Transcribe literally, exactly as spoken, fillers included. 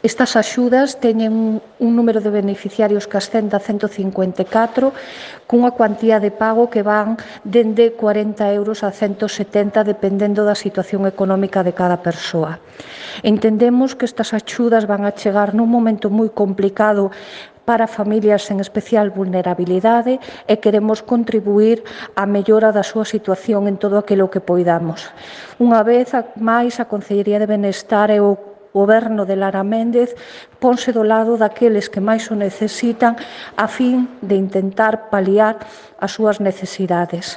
Estas axudas teñen un número de beneficiarios que ascende a ciento cincuenta e catro, cunha cuantía de pago que van dende cuarenta euros a ciento setenta, dependendo da situación económica de cada persoa. Entendemos que estas axudas van a chegar nun momento moi complicado para familias en especial vulnerabilidade e queremos contribuir á mellora da súa situación en todo aquilo que poidamos. Unha vez máis, a Consellería de Benestar e o Goberno de Lara Méndez ponse do lado daqueles que máis o necesitan a fin de intentar paliar as súas necesidades.